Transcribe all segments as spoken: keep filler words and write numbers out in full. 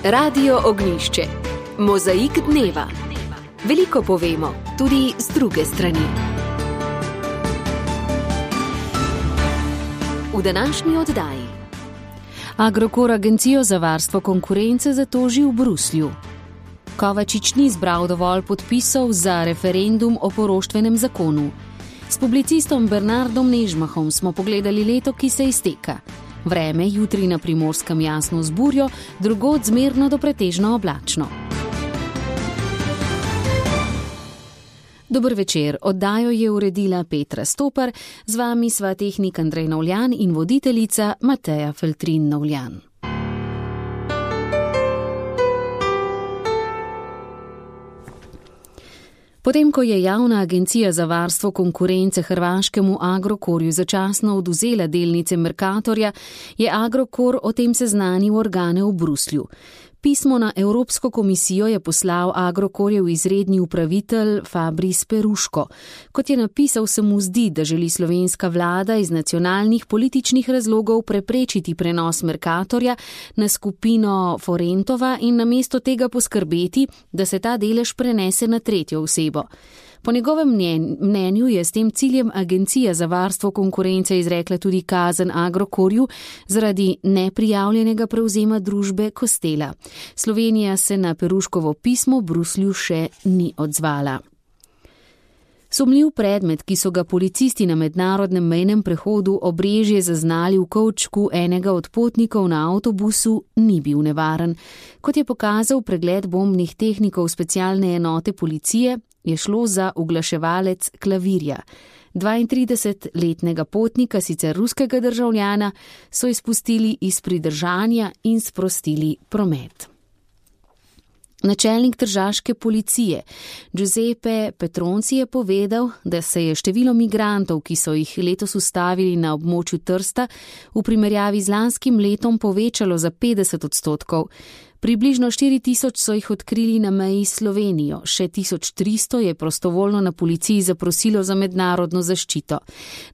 Radio Ognjišče. Mozaik dneva. Veliko povemo, tudi z druge strani. V današnji oddaji. Agrokor Agencijo za varstvo konkurence zatoži v Bruslju. Kovačič ni zbral dovolj podpisov za referendum o poroštvenem zakonu. S publicistom Bernardom Nežmahom smo pogledali leto, ki se izteka. Vreme jutri na Primorskem jasno z burjo, drugod zmerno do pretežno oblačno. Dober večer, oddajo je uredila Petra Stopar, z vami sva tehnik Andrej Novljan in voditeljica Mateja Feltrin Novljan. Potem, ko je Javna agencija za varstvo konkurence hrvaškemu Agrokorju začasno odvzela delnice Mercatorja, je Agrokor o tem seznanil organe v Bruslju. Pismo na Evropsko komisijo je poslal Agrokorjev izredni upravitelj Fabris Peruško. Kot je napisal, se mu zdi, da želi slovenska vlada iz nacionalnih političnih razlogov preprečiti prenos Mercatorja na skupino Forentova in namesto tega poskrbeti, da se ta delež prenese na tretjo osebo. Po njegovem mnenju je s tem ciljem Agencija za varstvo konkurence izrekla tudi kazen Agrokorju zaradi neprijavljenega prevzema družbe Kostela. Slovenija se na Peruškovo pismo v Bruslju še ni odzvala. Sumljiv predmet, ki so ga policisti na mednarodnem mejnem prehodu Obrežje zaznali v kovčku enega od potnikov na avtobusu, ni bil nevaren. Kot je pokazal pregled bombnih tehnikov specialne enote policije, je šlo za uglaševalec klavirja. dvaintridesetletnega potnika, sicer ruskega državljana, so izpustili iz pridržanja in sprostili promet. Načelnik tržaške policije Giuseppe Petronci je povedal, da se je število migrantov, ki so jih letos ustavili na območju Trsta, v primerjavi z lanskim letom povečalo za petdeset odstotkov. Približno štiri tisoč so jih odkrili na meji s Slovenijo, še tisoč tristo je prostovoljno na policiji zaprosilo za mednarodno zaščito.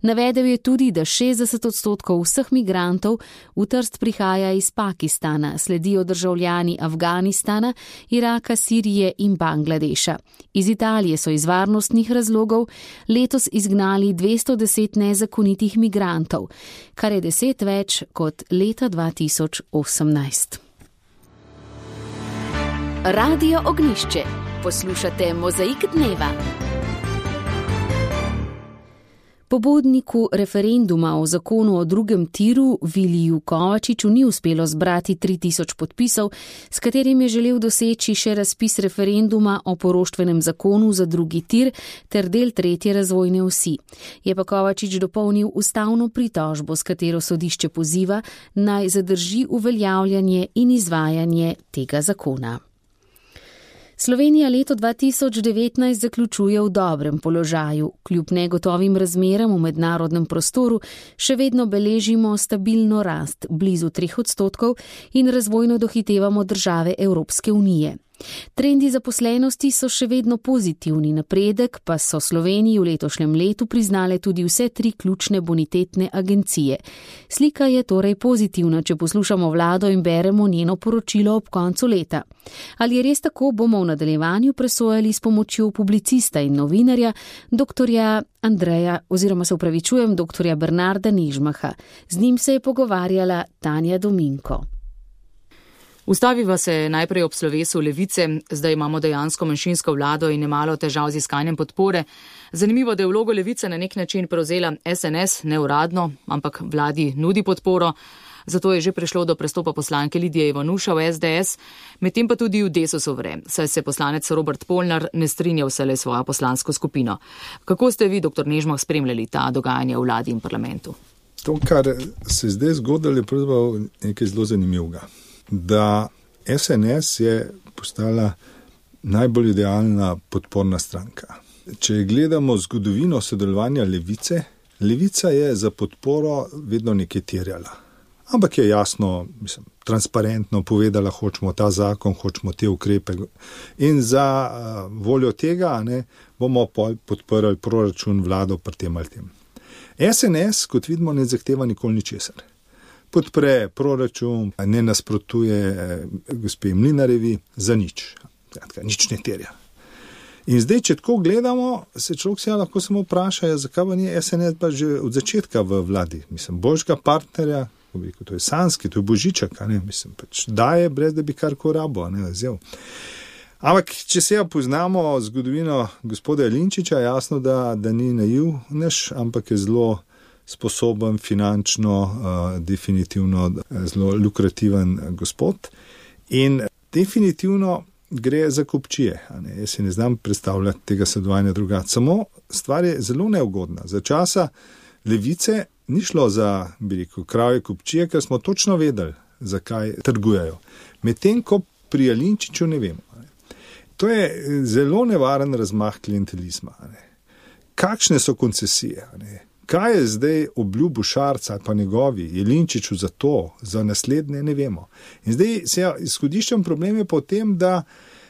Navedel je tudi, da šestdeset odstotkov vseh migrantov v Trst prihaja iz Pakistana, sledijo državljani Afganistana, Iraka, Sirije in Bangladeša. Iz Italije so iz varnostnih razlogov letos izgnali dvesto deset nezakonitih migrantov, kar je deset več kot leta dva tisoč osemnajst. Radio Ognjišče. Poslušate Mozaik dneva. Pobudniku referenduma o zakonu o drugem tiru Viliju Kovačiču ni uspelo zbrati tri tisoč podpisov, s katerim je želel doseči še razpis referenduma o poroštvenem zakonu za drugi tir ter del tretje razvojne osi. Je pa Kovačič dopolnil ustavno pritožbo, s katero sodišče poziva, naj zadrži uveljavljanje in izvajanje tega zakona. Slovenija leto dva tisoč devetnajst zaključuje v dobrem položaju. Kljub negotovim razmeram v mednarodnem prostoru še vedno beležimo stabilno rast, blizu treh odstotkov, in razvojno dohitevamo države Evropske unije. Trendi zaposlenosti so še vedno pozitivni, napredek pa so Sloveniji v letošnjem letu priznale tudi vse tri ključne bonitetne agencije. Slika je torej pozitivna, če poslušamo vlado in beremo njeno poročilo ob koncu leta. Ali je res tako, bomo v nadaljevanju presojali s pomočjo publicista in novinarja, doktorja Andreja, oziroma se upravičujem, doktorja Bernarda Nežmaha. Z njim se je pogovarjala Tanja Dominko. Ustaviva se najprej ob slovesu Levice, zdaj imamo dejansko manjšinsko vlado in nemalo težav z iskanjem podpore. Zanimivo, da je vlogo Levice na nek način prevzela S N S, neuradno, ampak vladi nudi podporo. Zato je že prišlo do prestopa poslanke Lidije Ivanuša v S D S, medtem pa tudi v Desusu vre, saj se poslanec Robert Polnar ne strinja vselej svojo poslansko skupino. Kako ste vi, doktor Nežmah, spremljali ta dogajanja v vladi in parlamentu? To, kar se zdaj zgodilo, je pravzaprav nekaj zelo zanimivega. Da S N S je postala najbolj idealna podporna stranka. Če gledamo zgodovino sodelovanja Levice, Levica je za podporo vedno nekaj terjala. Ampak je jasno, mislim, transparentno povedala, hočemo ta zakon, hočemo te ukrepe. In za uh, voljo tega ne, bomo podprli proračun, vlado pri tem ali tem. S N S, kot vidimo, ne zahteva nikoli ničesar. podpre proračun, ne nasprotuje gospe Mlinarevi za nič. Kratka, nič ne terja. In zdaj, če tako gledamo, se človek se lahko samo vpraša, zakaj pa ni S N S pa že od začetka v vladi. Mislim, božjega partnerja, to je Sanski, to je Božiček, ne, mislim, pač daje, brez da bi karkoli rabo, ne, vzel. Ampak, če se ja poznamo zgodovino gospoda Jelinčiča, jasno, da, da ni naivnež, ampak je zelo sposoben, finančno, uh, definitivno zelo lukrativen gospod. In definitivno gre za kupčije. Ne? Jaz si ne znam predstavljati tega sodelovanja drugače. Samo stvar je zelo neugodna. Za časa Levice ni šlo za, bi rekel, kravje kupčije, ker smo točno vedeli, zakaj trgujejo. Medtem, ko pri Jelinčiču ne vemo. Ne? To je zelo nevaren razmah klientelizma. Ne? Kakšne so koncesije? Ne? Kaj je zdaj obljubil Šarca ali pa njegovi Jelinčiču za to, za naslednje, ne vemo. In zdaj se ja, izhodiščen problem je pa v tem, da,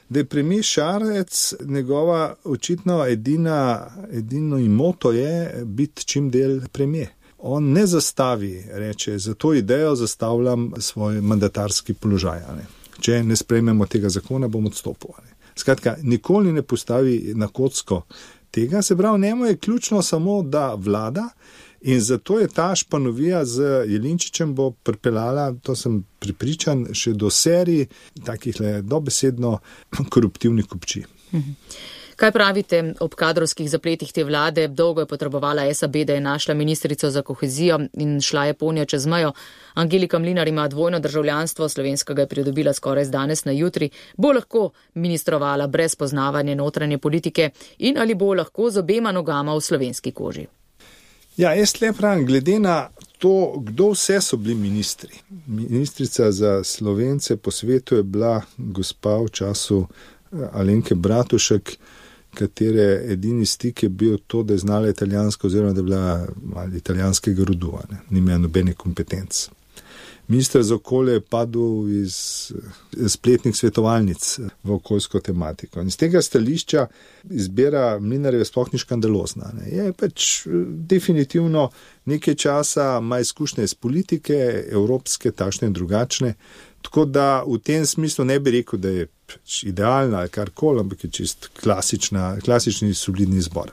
da je premijer Šarec, njegova očitno edina, edino imoto je biti čim del premijer. On ne zastavi, reče, za to idejo zastavljam svoj mandatarski položaj. Ne. Če ne sprejmemo tega zakona, bom odstopil. Ne. Skratka, nikoli ne postavi na kocko tega, se pravi, njemu je ključno samo, da vlada, in zato je ta španovija z Jelinčičem bo pripeljala, to sem pripričan, še do serij takih le dobesedno koruptivnih kupčij. Kaj pravite ob kadrovskih zapletih te vlade? Dolgo je potrebovala S A B, da je našla ministrico za kohezijo in šla je ponja čez mejo. Angelika Mlinar ima dvojno državljanstvo, slovenskega je pridobila skoraj z danes na jutri. Bo lahko ministrovala brez poznavanja notranje politike in ali bo lahko z obema nogama v slovenski koži? Ja, jaz le pravim, glede na to, kdo vse so bili ministri. Ministrica za Slovence po svetu je bila gospa v času Alenke Bratušek, katere edini stik je bil to, da je znala italijansko oziroma da je bila ali italijanskega rodu, ne, ni imela nobene kompetenc. Minister za okolje je padel iz spletnih svetovalnic v okoljsko tematiko. In z tega stališča izbira Mlinarjeve sploh ni škandalozna. Ne. Je pač definitivno nekaj časa, ima izkušnje iz politike, evropske, takšne in drugačne, tako da v tem smislu ne bi rekel, da je idealna ali karkoli, ampak je čist klasična, klasični solidni izbor.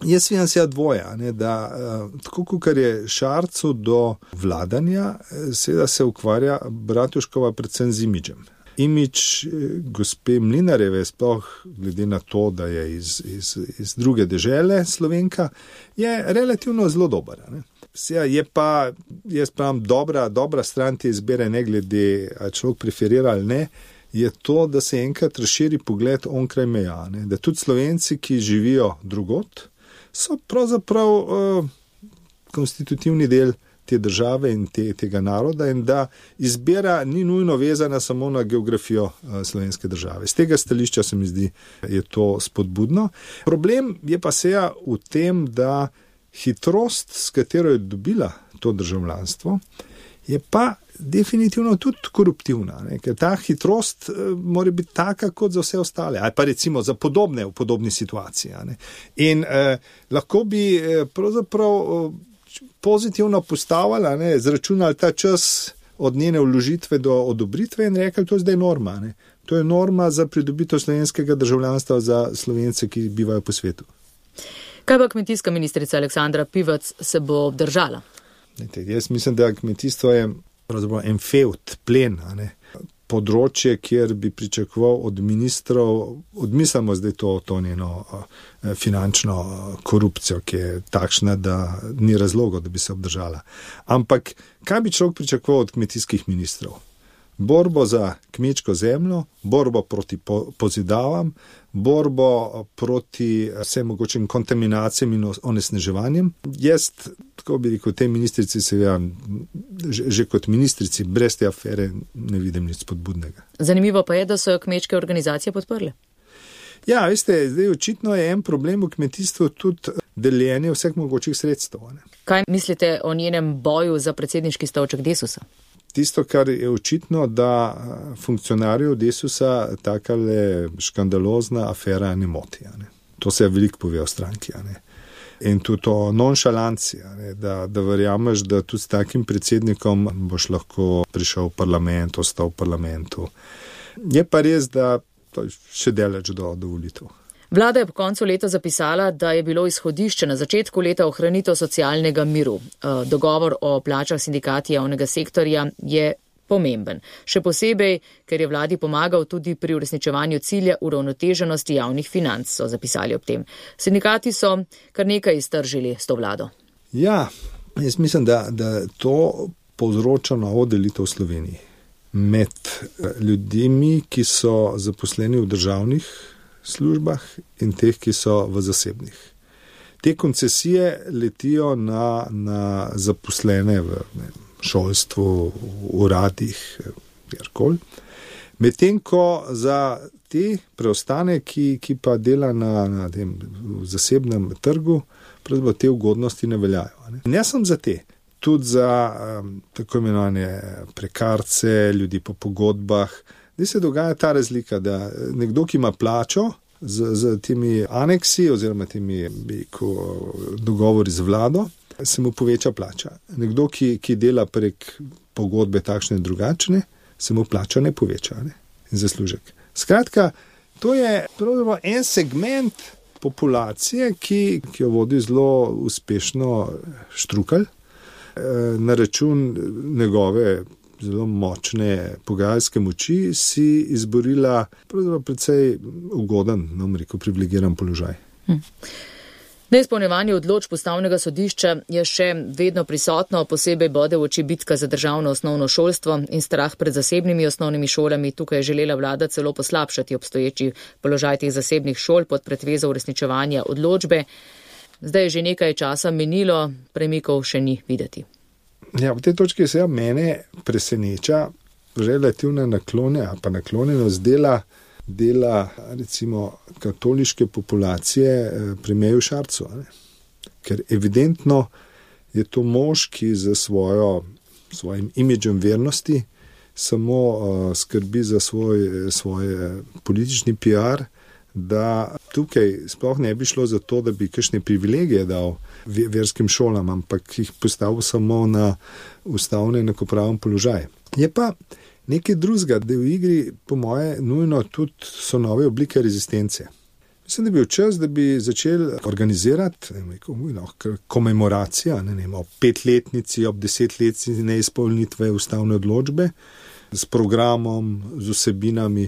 Jaz vidim se dvoje, ne, da tako kot je Šarcu do vladanja, seveda se ukvarja Bratuškova predvsem z imidžem. Imidž gospe Mlinarjeve, sploh glede na to, da je iz, iz, iz druge dežele Slovenka, je relativno zelo dober. Ne. Je pa, jaz pravim, dobra, dobra stran te izbere, ne glede, ali človek preferira ali ne, je to, da se enkrat razširi pogled onkraj meja. Ne. Da tudi Slovenci, ki živijo drugot, so pravzaprav uh, konstitutivni del te države in te, tega naroda in da izbira ni nujno vezana samo na geografijo uh, slovenske države. Z tega stališča se mi zdi, je to spodbudno. Problem je pa seja v tem, da hitrost, s katero je dobila to državljanstvo, je pa definitivno tudi koruptivna, ne? Ker ta hitrost uh, mora biti taka kot za vse ostale, ali pa recimo za podobne v podobni situaciji. Ne? In uh, lahko bi uh, pravzaprav uh, pozitivno postavila, ne? Zračunali ta čas od njene vložitve do odobritve in rekli, to je zdaj norma. Ne? To je norma za pridobitev slovenskega državljanstva za Slovence, ki bivajo po svetu. Kaj pa kmetijska ministrica Aleksandra Pivac se bo obdržala? Jaz mislim, da kmetijstvo je pravzaprav en fevd, plen, ne? Področje, kjer bi pričakoval od ministrov, odmislimo zdaj to, to njeno finančno korupcijo, ki je takšna, da ni razloga, da bi se obdržala. Ampak kaj bi človek pričakoval od kmetijskih ministrov? Borbo za kmečko zemljo, borbo proti pozidavam, borbo proti vsem mogočim kontaminacijam in onesnaževanjem. Jaz, tako bi rekel, tej ministrici se ja, že, že kot ministrici brez te afere ne vidim nič spodbudnega. Zanimivo pa je, da so jo kmečke organizacije podprle. Ja, veste, zdaj očitno je en problem v kmetijstvu tudi deljenje vseh mogočih sredstev. Ne? Kaj mislite o njenem boju za predsedniški stolček Desusa? Tisto, kar je očitno, da funkcionarjev Desusa takale škandalozna afera ne moti. Ne. To se je veliko pove o stranki. Ne. In tudi to nonšalancija, da, da verjameš, da tudi s takim predsednikom boš lahko prišel v parlament, ostal v parlamentu. Je pa res, da to je še daleč do, do volitev. Vlada je po koncu leta zapisala, da je bilo izhodišče na začetku leta ohranitev socialnega miru. Dogovor o plačah sindikati javnega sektorja je pomemben. Še posebej, ker je vladi pomagal tudi pri uresničevanju cilja uravnoteženosti javnih financ, so zapisali ob tem. Sindikati so kar nekaj iztržili s to vlado. Ja, jaz mislim, da, da to povzroča novo delitev v Sloveniji med ljudmi, ki so zaposleni v državnih službah in teh, ki so v zasebnih. Te koncesije letijo na, na zaposlene v ne, šolstvu, v uradih, kjerkoli. Medtem ko za te preostane, ki, ki pa dela na, na tem zasebnem trgu, pravzaprav te ugodnosti ne veljajo. Ne. In jaz sem za te, tudi za um, tako imenovane prekarce, ljudi po pogodbah. Zdaj se dogaja ta razlika, da nekdo, ki ima plačo z, z temi aneksi oziroma temi biko, dogovori z vlado, se mu poveča plača. Nekdo, ki, ki dela prek pogodbe takšne in drugačne, se mu plača ne poveča, ne? In zaslužek. Skratka, to je pravzaprav en segment populacije, ki, ki jo vodi zelo uspešno Štrukelj, na račun njegove zelo močne pogajalske moči si izborila pravzaprav precej ugoden, no bom rekel, privilegiran položaj. Hm. Neizpolnjevanje odločb Ustavnega sodišča je še vedno prisotno, posebej bode v oči bitka za državno osnovno šolstvo in strah pred zasebnimi osnovnimi šolami. Tukaj je želela vlada celo poslabšati obstoječi položaj teh zasebnih šol pod pretvezo uresničevanja odločbe. Zdaj je že nekaj časa minilo, premikov še ni videti. Ja, v tej točki se ja mene preseneča relativna naklone, pa naklonjenost dela, dela recimo katoliške populacije pri Meju Šarcu. Ne? Ker evidentno je to mož, ki za svojo, svojim imidžem vernosti samo uh, skrbi za svoj, svoj politični P R, da tukaj sploh ne bi šlo za to, da bi kakšne privilegije dal verskim šolam, ampak jih postavil samo na ustavno enakopraven položaj. Je pa nekaj drugega, da v igri, po moje, nujno tudi so nove oblike rezistence. Mislim, da bi bil čas, da bi začeli organizirati komemoracija, ne vem, ob petletnici, ob desetletnici neizpolnitve ustavne odločbe, s programom, z vsebinami,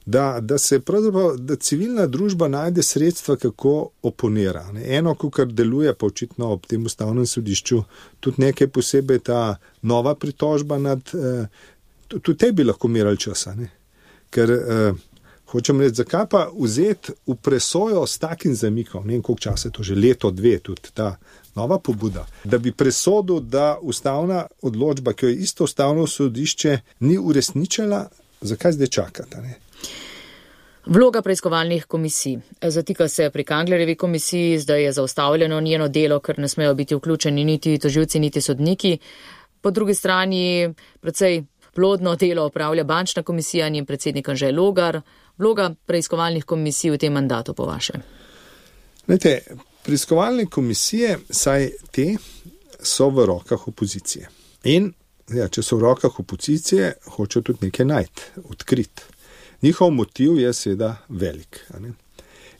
da, da se pravzaprav, da civilna družba najde sredstva, kako oponira. Ne. Eno, kar deluje pa očitno ob tem ustavnem sodišču, tudi nekaj posebej ta nova pritožba nad, eh, tudi te bi lahko merali časa, ne. Ker eh, hočem reči, zakaj pa vzeti v presojo s takim zamikom, ne vem koliko časa je to, že leto, dve, tudi ta nova pobuda, da bi presodil, da ustavna odločba, ki jo je isto ustavno sodišče ni uresničila, zakaj zdaj čakata, ne? Vloga preiskovalnih komisij. Zatika se pri Kanglerjevi komisiji, zdaj je zaustavljeno njeno delo, ker ne smejo biti vključeni niti tožilci, niti sodniki. Po drugi strani precej plodno delo opravlja bančna komisija, njen predsednik Anže Logar. Vloga preiskovalnih komisij v tem mandatu po vaše? Lejte, preiskovalne komisije, saj te so v rokah opozicije. In ja, če so v rokah opozicije, hočejo tudi nekaj najti, odkriti. Njihov motiv je seveda velik. Ne?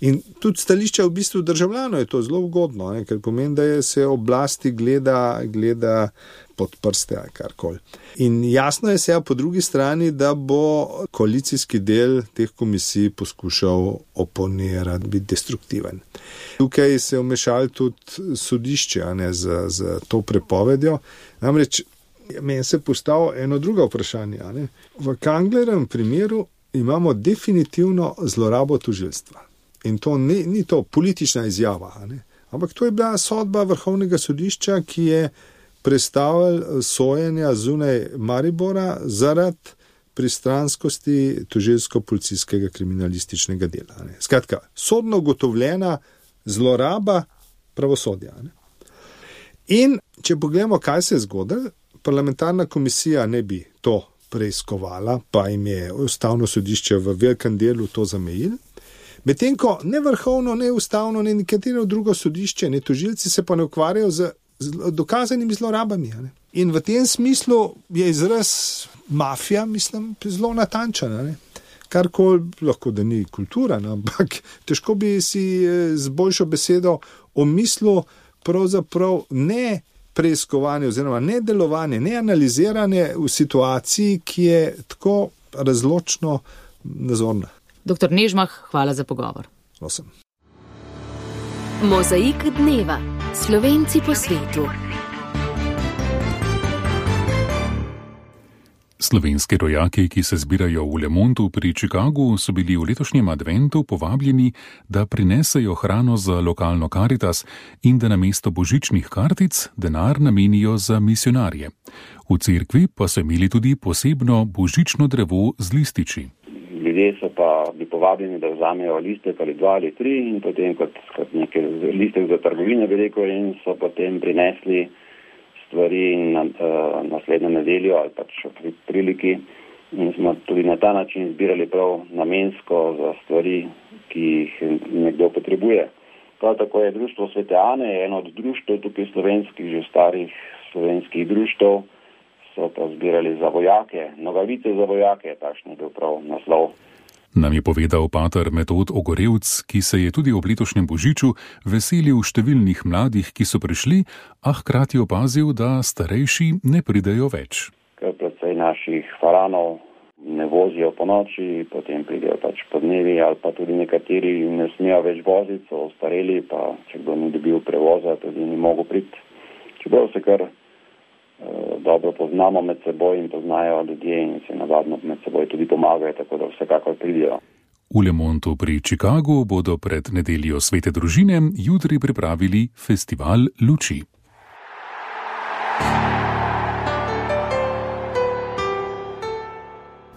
In tudi stališče v bistvu državljanov je to zelo ugodno, ne? Ker pomeni, da je se oblasti gleda, gleda pod prste ali karkoli. In jasno je se po drugi strani, da bo koalicijski del teh komisij poskušal oponirati, biti destruktiven. Tukaj se je vmešalo tudi sodišče, ne, z, z to prepovedjo. Namreč meni se postavilo eno drugo vprašanje. Ne? V Kanglerjevem primeru imamo definitivno zlorabo tožilstva. In to ni, ni to politična izjava, ne? Ampak to je bila sodba Vrhovnega sodišča, ki je prestavil sojenja zunaj Maribora zaradi pristranskosti tožilsko-policijskega kriminalističnega dela. Ne? Skratka, sodno ugotovljena zloraba pravosodja. Ne? In če pogledamo, kaj se je zgodilo, parlamentarna komisija ne bi to preiskovala, pa jim je ustavno sodišče v velikem delu to zamejilo. Medtem ko ne vrhovno, ne ustavno, ne nekatero drugo sodišče, ne tožilci se pa ne ukvarjajo z, z dokazanimi zlorabami. Ne? In v tem smislu je izraz mafija, mislim, zelo natančen. Ne? Karkoli lahko, da ni kultura, ne? Ampak težko bi si z boljšo besedo omislil pravzaprav ne preiskovanje oziroma ne delovanje, ne analiziranje v situaciji, ki je tako razločno nazorna. Doktor Nežmah, hvala za pogovor. Prosim. Mozaik dneva. Slovenci po svetu. Slovenski rojaki, ki se zbirajo v Lemontu pri Chicagu, so bili v letošnjem adventu povabljeni, da prinesejo hrano za lokalno Karitas in da namesto božičnih kartic denar namenijo za misionarje. V cerkvi pa so imeli tudi posebno božično drevo z lističi. Ljudje so pa bi povabljeni, da vzamejo listek ali dva ali tri in potem kot, kot nekaj listek za trgovine bi rekel in so potem prinesli stvari na uh, naslednjo nedeljo ali pač pri priliki in smo tudi na ta način zbirali prav namensko za stvari, ki jih nekdo potrebuje. Prav tako je društvo Svete Ane, eno od društev tukaj slovenskih, že starih slovenskih društev, so pa zbirali za vojake, nogavice za vojake, takšen je bil prav naslov. Nam je povedal pater Metod Ogorevc, ki se je tudi ob letošnjem božiču veselil številnih mladih, ki so prišli, a hkrati opazil, da starejši ne pridejo več. Ker predvsej naših faranov ne vozijo po noči, potem pridejo pač po dnevi ali pa tudi nekateri ne smejo več voziti, so ostareli, pa če kdo ni dobil prevoza, tudi ni mogel priti. Čeprav se kar dobro poznamo med seboj in poznajo ljudje in se navadno med seboj tudi pomagajo, tako da vsekakor pridijo. V Lemontu pri Chicagu bodo pred nedeljo Svete družine jutri pripravili festival luči.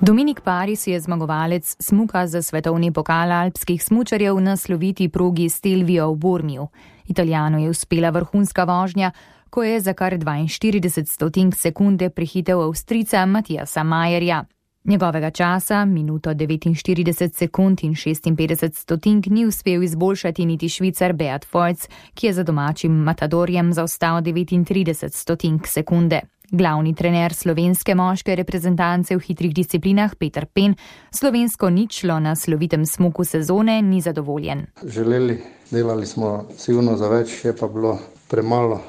Dominik Paris je zmagovalec smuka za svetovni pokal alpskih smučarjev na sloviti progi Stelvio v Bormiju. Italijanu je uspela vrhunska vožnja, ko je za kar dvainštirideset stotink sekunde prehitel Avstrijca Matijasa Majerja. Njegovega časa, minuto devetinštirideset sekund in šestinpetdeset stotink, ni uspel izboljšati niti Švicar Beat Feuz, ki je za domačim Matadorjem zaostal devetintrideset stotink sekunde. Glavni trener slovenske moške reprezentance v hitrih disciplinah Peter Pen slovensko ničlo na slovitem smuku sezone ni zadovoljen. Želeli, delali smo sigurno za več, je pa bilo premalo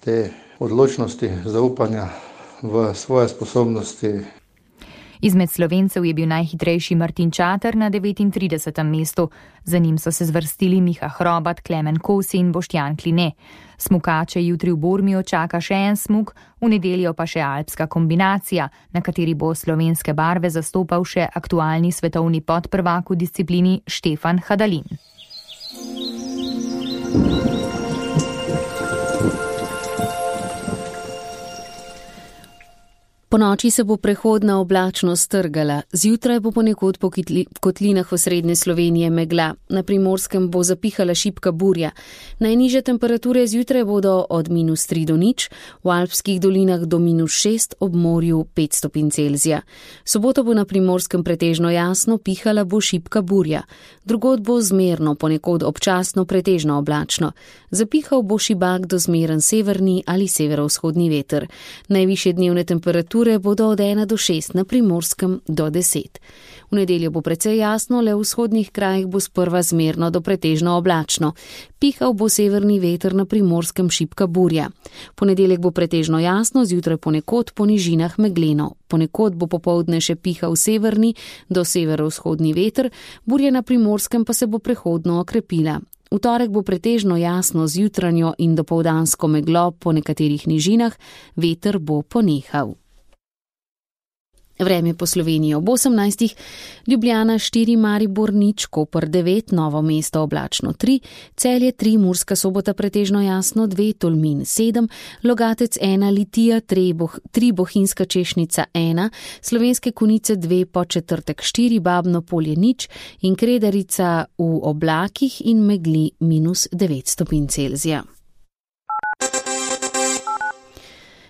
te odločnosti, zaupanja v svoje sposobnosti. Izmed Slovencev je bil najhitrejši Martin Čater na devetintridesetem mestu. Za njim so se zvrstili Miha Hrobat, Klemen Kosi in Boštjan Kline. Smukače jutri v Bormiju čaka še en smuk, v nedeljo pa še alpska kombinacija, na kateri bo slovenske barve zastopal še aktualni svetovni podprvak v disciplini Štefan Hadalin. Po noči se bo prehodna oblačnost strgala, zjutraj bo ponekod po kotlinah v srednje Slovenije megla, na Primorskem bo zapihala šibka burja. Najnižje temperature zjutraj bodo od minus tri do nič, v alpskih dolinah do minus šest, ob morju pet stopinj Celzija. Soboto bo na Primorskem pretežno jasno, pihala bo šibka burja. Drugod bo zmerno, ponekod občasno pretežno oblačno. Zapihal bo šibak do zmeren severni ali severovzhodni veter. Najvišje dnevne temperature bodo od ena do šest, na Primorskem do deset. V nedeljo bo precej jasno, le v vzhodnih krajih bo sprva zmerno do pretežno oblačno. Pihal bo severni veter, na Primorskem šibka burja. Ponedeljek bo pretežno jasno, zjutraj ponekod po nižinah megleno. Ponekod bo popoldne še pihal severni do severovzhodni veter, burja na Primorskem pa se bo prehodno okrepila. V torek bo pretežno jasno z jutranjo in dopoldansko meglo po nekaterih nižinah, veter bo ponehal. Vreme po Sloveniji ob osemnajstih, Ljubljana štiri, Maribor nič, Koper devet, Novo mesto oblačno tri, Celje tri, Murska Sobota pretežno jasno dve, Tolmin sedem, Logatec ena, Litija tri, boh, tri Bohinjska Češnica ena, Slovenske Konjice dve, Podčetrtek štiri, Babno Polje nič in Kredarica v oblakih in megli minus devet stopinj Celzija.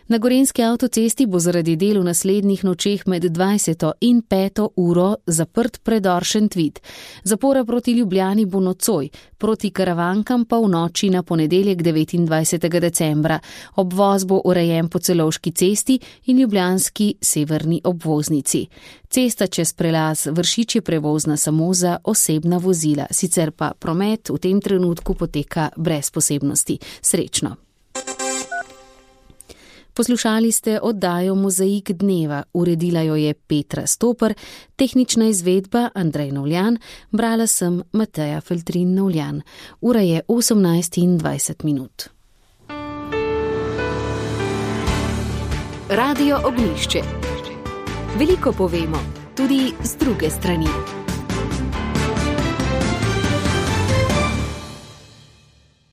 Na gorenjski avtocesti bo zaradi del v naslednjih nočeh med dvajseto in peto uro zaprt predor Šentvid. Zapora proti Ljubljani bo nocoj, proti Karavankam pa v noči na ponedeljek devetindvajsetega decembra. Obvoz bo urejen po Celovški cesti in ljubljanski severni obvoznici. Cesta čez prelaz Vršič je prevozna samo za osebna vozila, sicer pa promet v tem trenutku poteka brez posebnosti. Srečno! Poslušali ste oddajo Mozaik dneva, uredila jo je Petra Stoper, tehnična izvedba Andrej Novljan, brala sem Mateja Feltrin Novljan. Ura je osemnajst in dvajset minut. Radio Ognjišče. Veliko povemo, tudi z druge strani.